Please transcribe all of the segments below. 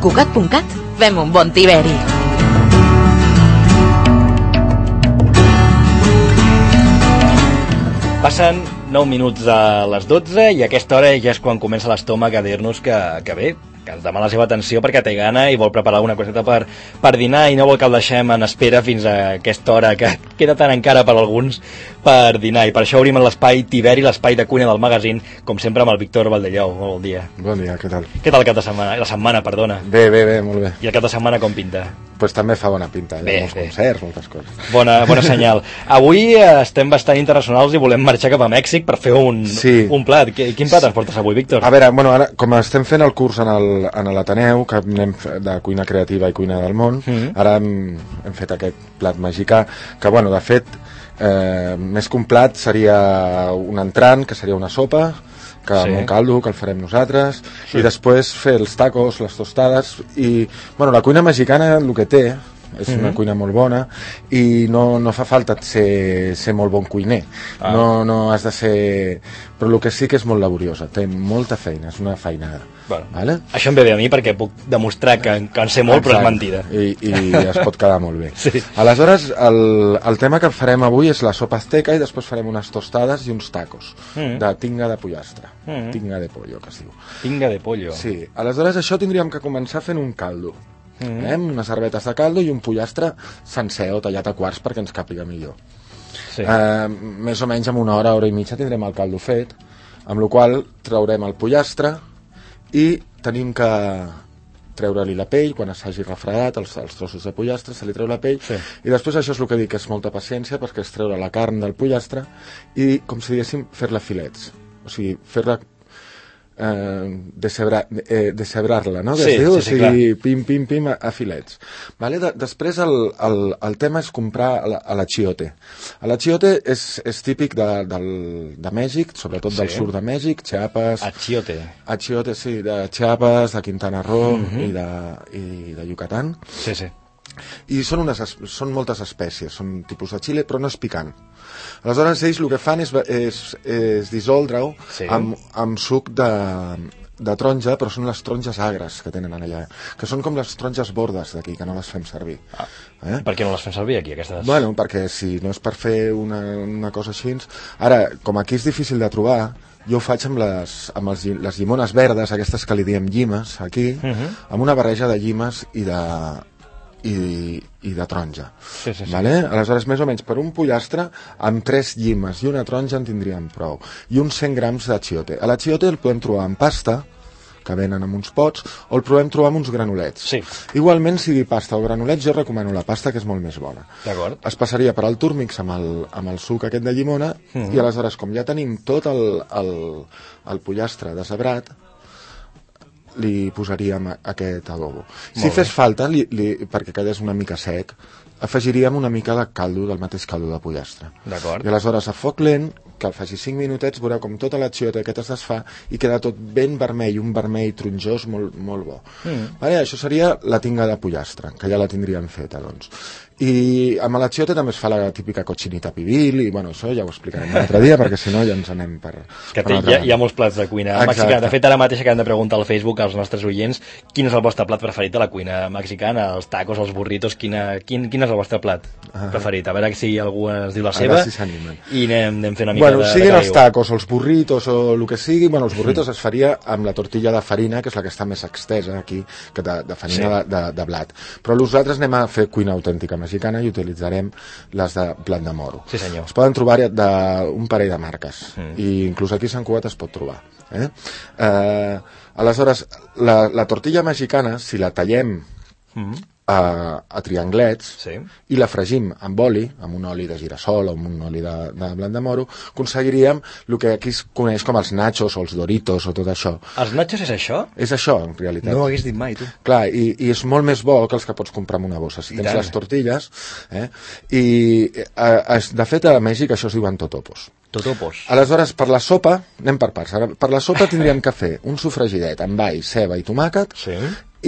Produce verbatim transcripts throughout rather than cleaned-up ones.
Cugat punt cat fem un bon tiberi. Passen nou minuts de les dotze i a aquesta hora ja és quan comença l'estómac a dir-nos que, que bé, que ens demana la seva atenció perquè té gana i vol preparar alguna coseta per, per dinar i no vol que el deixem en espera fins a aquesta hora que queda tan encara per alguns per dinar, i per això obrim l'espai Tiberi, l'espai de cuina del magazín, com sempre amb el Víctor Valdellou. Molt bon dia. Bon dia, què tal? Què tal el cap de setmana? La setmana, perdona. Bé, bé, bé, molt bé. I el cap de setmana com pinta? Pues també fa bona pinta, hi ha bé, molts bé. concerts, moltes coses. Bona, bona senyal. Avui estem bastant internacionals i volem marxar cap a Mèxic per fer un, sí. un plat. Quin plat ens portes avui, Víctor? A veure, bueno, ara, com estem fent el curs en el, en l'Ateneu, que anem de cuina creativa i cuina del món, mm-hmm. ara hem, hem fet aquest plat mexicà, que, bueno, de fet, eh, més que un plat seria un entrant, que seria una sopa, que sí. amb un caldo, que el farem nosaltres, sí. i després fer els tacos, les tostades, i, bueno, la cuina mexicana el que té, és mm-hmm. una cuina molt bona, i no, no fa falta ser, ser molt bon cuiner, ah. no, no has de ser... Però el que sí que és molt laboriosa, té molta feina, és una feinada. Bueno, vale? Això em ve bé a mi perquè puc demostrar que, que en sé molt, exacte, però és mentida. I, i es pot quedar molt bé. Sí. Aleshores, el, el tema que farem avui és la sopa azteca i després farem unes tostades i uns tacos mm. de tinga de pollastre, mm. tinga de pollo, que es diu. Tinga de pollo. Sí, aleshores això tindríem que començar fent un caldo. Mm. Eh? Unes herbetes de caldo i un pollastre sencer o tallat a quarts perquè ens càpiga millor. Sí. Eh, més o menys en una hora, hora i mitja tindrem el caldo fet, amb la qual traurem el pollastre i tenim que treure-li la pell quan s'hagi refredat els, els trossos de pollastre, se li treu la pell, sí. i després això és el que dic, és molta paciència perquè és treure la carn del pollastre i, com si diguéssim, fer-la filets, o sigui, fer-la eh, decebrar, eh, decebrar-la, no? Sí, diu, sí, sí, o sigui, clar. pim, pim, pim, a, a filets. Vale? De, després el, el, el tema és comprar l'achiote. L'achiote és, és típic de, del, de Mèxic, sobretot sí. del sud de Mèxic, Chiapas... Achiote. Achiote, sí, de Chiapas, de Quintana Roo mm-hmm. i, de, i de Yucatán. Sí, sí. I són, unes, són moltes espècies, són tipus de xile, però no és picant. Aleshores, ells el que fan és, és, és dissoldre-ho sí. amb, amb suc de, de taronja, però són les taronges agres que tenen allà, que són com les taronges bordes d'aquí, que no les fem servir. Ah. Eh? Per què no les fem servir aquí, aquestes? Bueno, perquè si no és per fer una, una cosa així... Ara, com aquí és difícil de trobar, jo ho faig amb les, amb els, les llimones verdes, aquestes que li diem llimes, aquí, uh-huh. amb una barreja de llimes i de... i, i de taronja. Sí, sí, sí. Vale? Aleshores, més o menys, per un pollastre, amb tres llimes i una taronja en tindríem prou. I uns cent grams d'achiote. L'achiote el podem trobar en pasta, que venen en uns pots, o el podem trobar amb uns granulets. Sí. Igualment, sigui pasta o granulets, jo recomano la pasta, que és molt més bona. D'acord. Es passaria per al túrmix amb el, amb el suc aquest de llimona, mm-hmm. i aleshores, com ja tenim tot el, el, el pollastre deshebrat, li posaríem aquest adobo. Si fes falta, li, li, perquè quedés una mica sec, afegiríem una mica de caldo, del mateix caldo de pollastre. D'acord. I aleshores, a foc lent, que el faci cinc minutets, veureu com tota l'achiote aquest es desfà i queda tot ben vermell, un vermell tronjós molt, molt bo. Mm. Vale, això seria la tinga de pollastre, que ja la tindríem feta, doncs. I amb l'achiote també es fa la típica cochinita pibil, i bueno, això ja ho explicarem un altre dia, perquè si no ja ens anem per... Que té, hi, ha, hi ha molts plats de cuina mexicana. De fet, ara mateix acabem de preguntar al Facebook als nostres oients quin és el vostre plat preferit de la cuina mexicana, els tacos, els burritos, quina, quin, quin és el vostre plat ah. preferit? A veure si algú ens diu la seva, si s'animen. I anem, anem fent una mica bueno, de... siguin de els tacos, els burritos o el que sigui, bueno, els burritos mm. es faria amb la tortilla de farina, que és la que està més extesa aquí, que de, de farina sí. de, de, de blat. Però nosaltres anem a fer cuina autèntica mexicana i utilitzarem les de blat de moro. Sí, senyor. Es poden trobar d'un parell de marques, mm. i inclús aquí a Sant Cugat es pot trobar. Eh? Eh, aleshores, la, la tortilla mexicana, si la tallem mm. a, a trianglets sí. i la fregim amb oli, amb un oli de girassol o amb un oli de, de blat de moro, aconseguiríem el que aquí es coneix com els nachos o els doritos o tot això. Els nachos és això? És això, en realitat. No ho hagués dit mai, tu. Clar, i, i és molt més bo que els que pots comprar en una bossa. Si I tens tant. Les tortilles, eh? I eh, de fet a Mèxic això es diuen totopos. Totopos. Aleshores, per la sopa, anem per parts. Per la sopa tindríem que fer un sofregidet amb all, ceba i tomàquet, sí.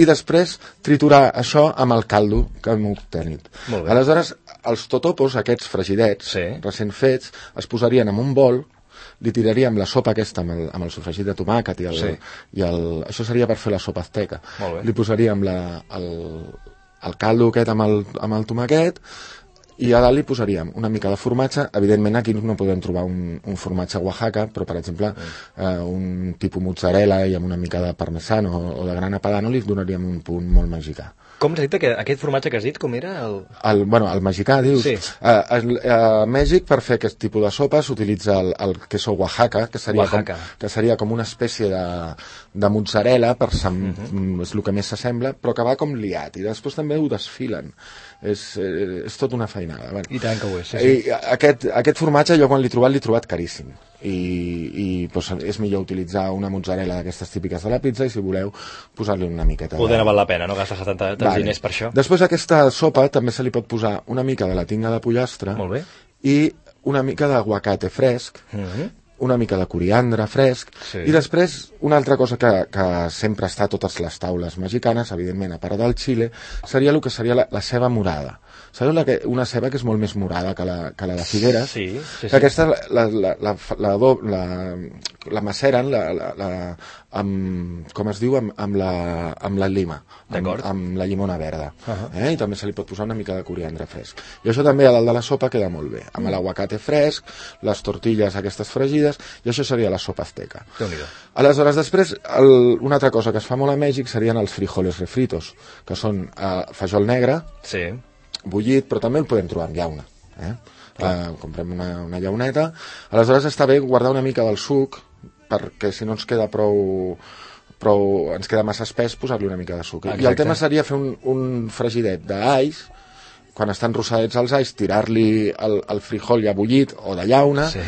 i després triturar això amb el caldo que hem obtenit. Aleshores, els totopos, aquests fregidets, sí. recent fets, es posarien en un bol li tiraríem la sopa aquesta amb el, amb el sofregit de tomàquet i el, Sí. i el... Això seria per fer la sopa azteca. Molt bé. Li posaríem la, el, el caldo aquest amb el, amb el tomàquet i a dalt li posaríem una mica de formatge. Evidentment aquí no podem trobar un, un formatge Oaxaca, però per exemple mm. eh, un tipus mozzarella i amb una mica de parmesano o de grana padano li donaríem un punt molt mexicà. Com has dit que aquest formatge que has dit, com era? El... El, bueno, el mexicà, dius? Sí. A, a, a Mèxic, per fer aquest tipus de sopa, s'utilitza el, el queso Oaxaca, que seria, Oaxaca. Com, que seria com una espècie de, de mozzarella, per sem, uh -huh. és el que més s'assembla, però que va com liat, i després també ho desfilen. És, eh, és tot una feinada. Bueno, I tant que ho és, sí, sí. I aquest, aquest formatge, jo quan l'he trobat, l'he trobat caríssim. I, i doncs, és millor utilitzar una mozzarella d'aquestes típiques de la pizza i si voleu posar-li una miqueta Poder no val la pena, no gastar tants vale. diners per això. Després a aquesta sopa també se li pot posar una mica de la tinga de pollastre. Molt bé. I una mica d'aguacate fresc, Mm-hmm. una mica de coriandre fresc, Sí. i després una altra cosa que, que sempre està a totes les taules mexicanes, evidentment a part del xile, seria el que seria la, la ceba morada. Sabeu la que, una ceba que és molt més morada que la, que la de Figueres? Sí, sí, sí. Aquesta la, la, la, la, la, do- la, la maceren la, la, la, amb, com es diu, amb, amb, la, amb la lima, amb, D'acord. amb la llimona verda. Uh -huh. eh? I també se li pot posar una mica de coriandre fresc. I això també a dalt de la sopa queda molt bé, amb l'aguacate fresc, les tortilles aquestes fregides, i això seria la sopa azteca. Déu-n'hi-do. Aleshores, després, el, una altra cosa que es fa molt a Mèxic serien els frijoles refritos, que són eh, fajol negre, Sí. bullit, però també el podem trobar en llauna. Eh? Uh, comprem una, una llauneta. Aleshores està bé guardar una mica del suc, perquè si no ens queda prou, prou ens queda massa espès, posar-li una mica de suc. Exacte. I el tema seria fer un, un fregidet d'alls, quan estan rossadets els alls, tirar-li el, el frijol ja bullit o de llauna, Sí.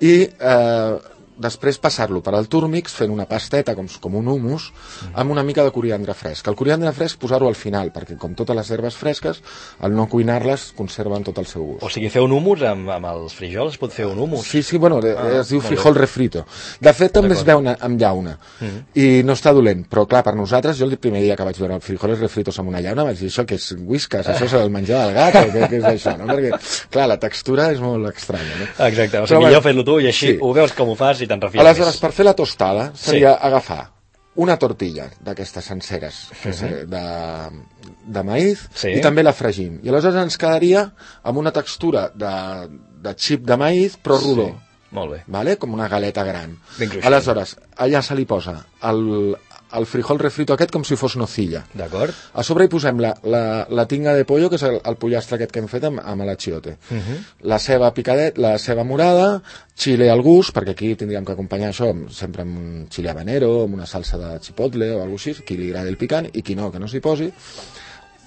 i eh, després passar-lo per al túrmix fent una pasteta com, com un humus amb una mica de coriandre fresc. El coriandre fresc posar-ho al final, perquè com totes les herbes fresques, al no cuinar-les conserven tot el seu gust. O sigui, fer un humus amb, amb els frijols, es pot fer un humus. Sí, sí, bueno, Ah, es diu molt frijol bé. refrito. De fet, també es D'acord. veu amb llauna, Mhm. i no està dolent, però clar, per nosaltres, jo el primer dia que vaig veure els frijoles refritos amb una llauna vaig dir, això que és whiskas, això és el menjar del gat, o què, què és això, no? Perquè, clar, la textura és molt estranya, no? Exacte, o Però sigui, bueno, millor fer-lo tu i així sí. ho veus com ho fas i te'n refies Aleshores, més. per fer la tostada, seria Sí. agafar una tortilla d'aquestes senceres que és, eh, de, de maïs, Sí. i també la fregim. I aleshores ens quedaria amb una textura de, de xip de maïs, però rodó. Sí. Molt bé. Vale? Com una galeta gran. Ben cruixent. Aleshores, allà se li posa el, el frijol refrito aquest com si fos nocilla. D'acord? A sobre hi posem la, la, la tinga de pollo, que és el, el pollastre aquest que hem fet amb, amb l'achiote. Uh -huh. La ceba picadet, la ceba morada, xile al gust, perquè aquí tindríem que acompanyar això amb, sempre amb un xile habanero, amb una salsa de chipotle o alguna cosa així, qui li agradi el picant, i qui no, que no s'hi posi.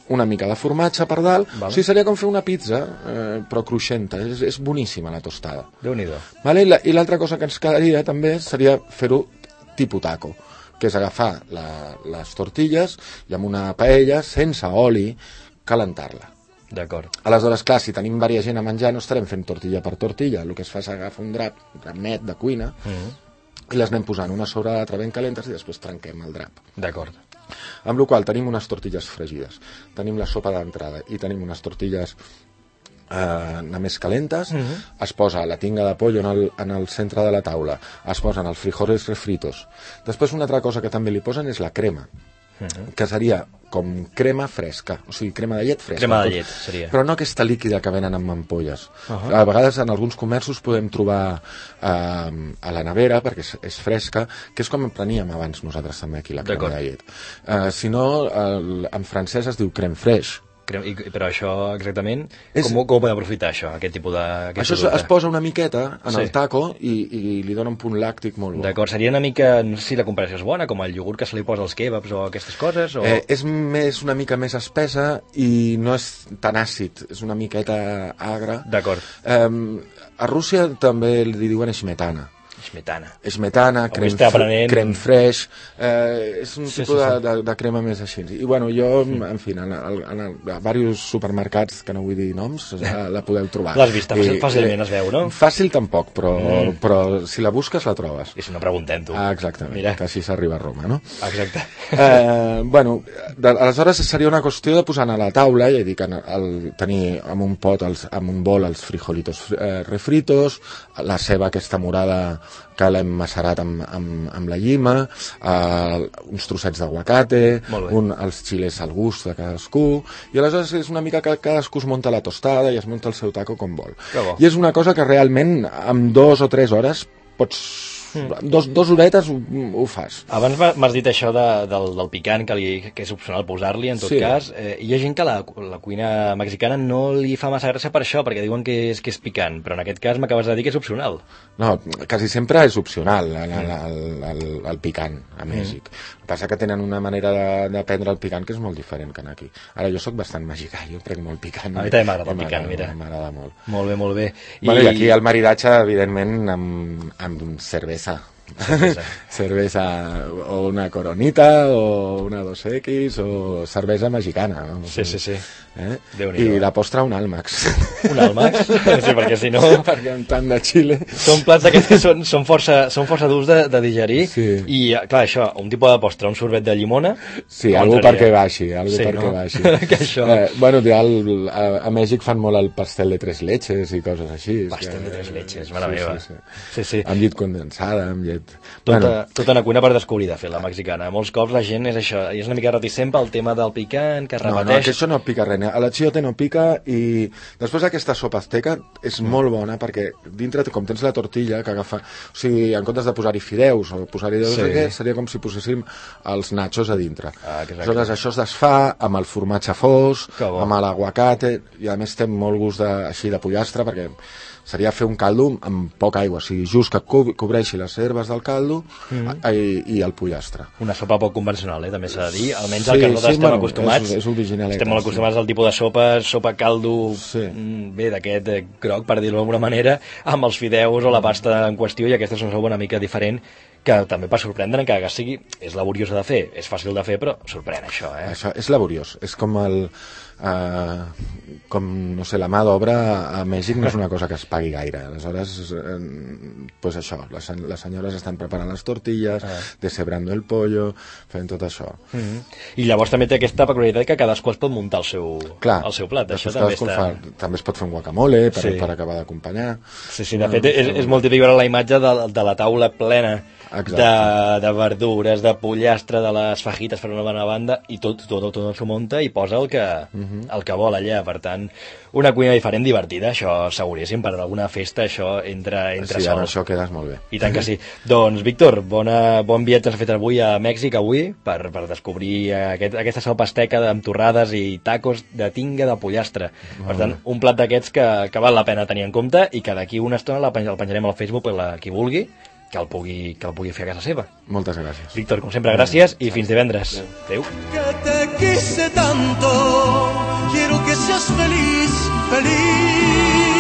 Una mica de formatge per dalt. Vale. O sigui, seria com fer una pizza, eh, però cruixenta. És, és boníssima la tostada. Déu-n'hi-do. Vale? I la- I l'altra cosa que ens quedaria també seria fer-ho tipus taco, que és agafar la, les tortilles i amb una paella, sense oli, calentar-la. D'acord. Aleshores, clar, si tenim diversa gent a menjar, no estarem fent tortilla per tortilla. El que es fa és agafar un drap, un drap net de cuina, Uh -huh. i les anem posant una sobre l'altra ben calentes i després trenquem el drap. D'acord. Amb la qual cosa tenim unes tortilles fregides, tenim la sopa d'entrada i tenim unes tortilles eh, més calentes, Uh -huh. es posa la tinga de pollo en el, en el centre de la taula, es posen els frijoles refritos. Després una altra cosa que també li posen és la crema, Uh -huh. que seria com crema fresca, o sigui, crema de llet fresca. Crema de llet, seria. Però no aquesta líquida que venen amb ampolles. Uh -huh. A vegades en alguns comerços podem trobar eh, a la nevera, perquè és, és fresca, que és com en preníem abans nosaltres també aquí, la crema D'acord. de llet. Eh, si no, el, en francès es diu crème fraîche. Crem- I, però això exactament, És- com, com ho podem aprofitar això, aquest tipus de... Aquest Això es, producte? es posa una miqueta en Sí. el taco i, i li dona un punt làctic molt bo. D'acord, seria una mica, no sé si la comparació és bona, com el iogurt que se li posa als kebabs o aquestes coses, o... Eh, és més, una mica més espessa i no és tan àcid, és una miqueta agra. D'acord. Eh, a Rússia també li diuen smetana. Esmetana. Esmetana, creme, aprenent... creme fraiche, eh, és un sí, tipus sí, sí. De, de, de crema més així. I bueno, jo, mm. en fi, en, en, en, en diversos supermercats, que no vull dir noms, la, la podeu trobar. L'has vista, I, fàcilment es veu, no? Fàcil tampoc, però, mm. però si la busques la trobes. I si no preguntem tu. Ah, exactament, Mira. Que així s'arriba a Roma, no? Exacte. Eh, bueno, de, aleshores seria una qüestió de posar a la taula, ja dic, el, el, tenir en un pot, els, en un bol, els frijolitos eh, refritos, la ceba aquesta morada que l'hem macerat amb, amb, amb la llima, eh, uns trossets d'aguacate, un, els xiles al gust de cadascú, i aleshores és una mica que cadascú es munta la tostada i es munta el seu taco com vol. I és una cosa que realment amb dos o tres hores pots... Mm. Dos, dos horetes ho, ho fas. Abans m'has dit això de, del, del picant, que, li, que és opcional posar-li, en tot sí. cas. Eh, hi ha gent que la, la cuina mexicana no li fa massa gràcia per això, perquè diuen que és, que és picant, però en aquest cas m'acabes de dir que és opcional. No, quasi sempre és opcional el, el, el, el, el picant a Mèxic. Mm. El que passa que tenen una manera de, de prendre el picant que és molt diferent que aquí. Ara jo sóc bastant mexicà, jo prenc molt picant. A mi també m'agrada el picant, mira. M'agrada molt. Molt bé, molt bé. I... Bueno, i aquí el maridatge, evidentment, amb, amb cervesa. Cervesa. cervesa o una Coronita o una dos equis o cervesa mexicana, no? Sí, sí, sí. Eh? I la postre un Almax. Un Almax? Sí, perquè si no... perquè amb tant de xile... Són plats d'aquests que són, són força, són força durs de, de digerir, sí. I clar, això, un tipus de postre, un sorbet de llimona... Sí, algú perquè baixi, algú sí, perquè no? baixi. que això... Eh, bueno, el, a, a Mèxic fan molt el pastel de tres leches i coses així. Pastel que, de tres leches, mare sí, meva. Sí, sí. Sí, sí. Amb llet condensada, amb llet... Tota, bueno. tota una cuina per descobrir, de fet, la mexicana. Molts cops la gent és això, és una mica reticent pel tema del picant, que es repeteix... No, no, que això no pica res. A la chiote no pica i després aquesta sopa azteca és mm. molt bona perquè dintre, com tens la tortilla que agafa... O sigui, en comptes de posar-hi fideus o posar-hi deus, sí. seria com si poséssim els nachos a dintre. Ah, aleshores això es desfà amb el formatge fos, amb l'aguacate, i a més té molt gust de, així de pollastre perquè seria fer un caldo amb poca aigua, o sigui, just que co cobreixi les herbes del caldo mm. i, i el pollastre. Una sopa poc convencional, eh? També s'ha de dir, almenys sí, el que nosaltres sí, estem bueno, acostumats. És, és originaleta, estem molt acostumats sí. al tipus de sopa, sopa caldo, sí. bé, d'aquest eh, groc, per dir-ho d'alguna manera, amb els fideus o la pasta en qüestió, i aquesta és una sopa una mica diferent, que també per sorprendre, encara que sigui, és laboriosa de fer, és fàcil de fer, però sorprèn això, eh? Això és laboriós, és com el... Uh, com, no sé, la mà d'obra a Mèxic no és una cosa que es pagui gaire. Aleshores, eh, pues això, les, les senyores estan preparant les tortilles, ah. deshebrando el pollo, fent tot això. Mm -hmm. I llavors també té aquesta peculiaritat que cadascú es pot muntar el seu, Clar, el seu plat. Això també, està... fa, també es pot fer un guacamole per, sí. per acabar d'acompanyar. Sí, sí, de fet, és, és molt típic veure la imatge de, de la taula plena de, de verdures, de pollastre, de les fajites per una bona banda, i tot, tot, tot s'ho munta i posa el que, uh -huh. el que vol allà. Per tant, una cuina diferent, divertida, això seguríssim, per alguna festa això entra, entra sí, sol. Sí, això quedes molt bé. I tant que sí. Doncs, Víctor, bona, bon viatge has fet avui a Mèxic, avui, per, per descobrir aquest, aquesta sopa azteca amb torrades i tacos de tinga de pollastre. Molt per tant, bé. Un plat d'aquests que, que val la pena tenir en compte i que d'aquí una estona el penjarem al Facebook per la, qui vulgui, que el pugui, que el pugui fer a casa seva. Moltes gràcies. Víctor, com sempre, gràcies i fins divendres. Adéu. Que te quise tanto, quiero que seas feliz, feliz.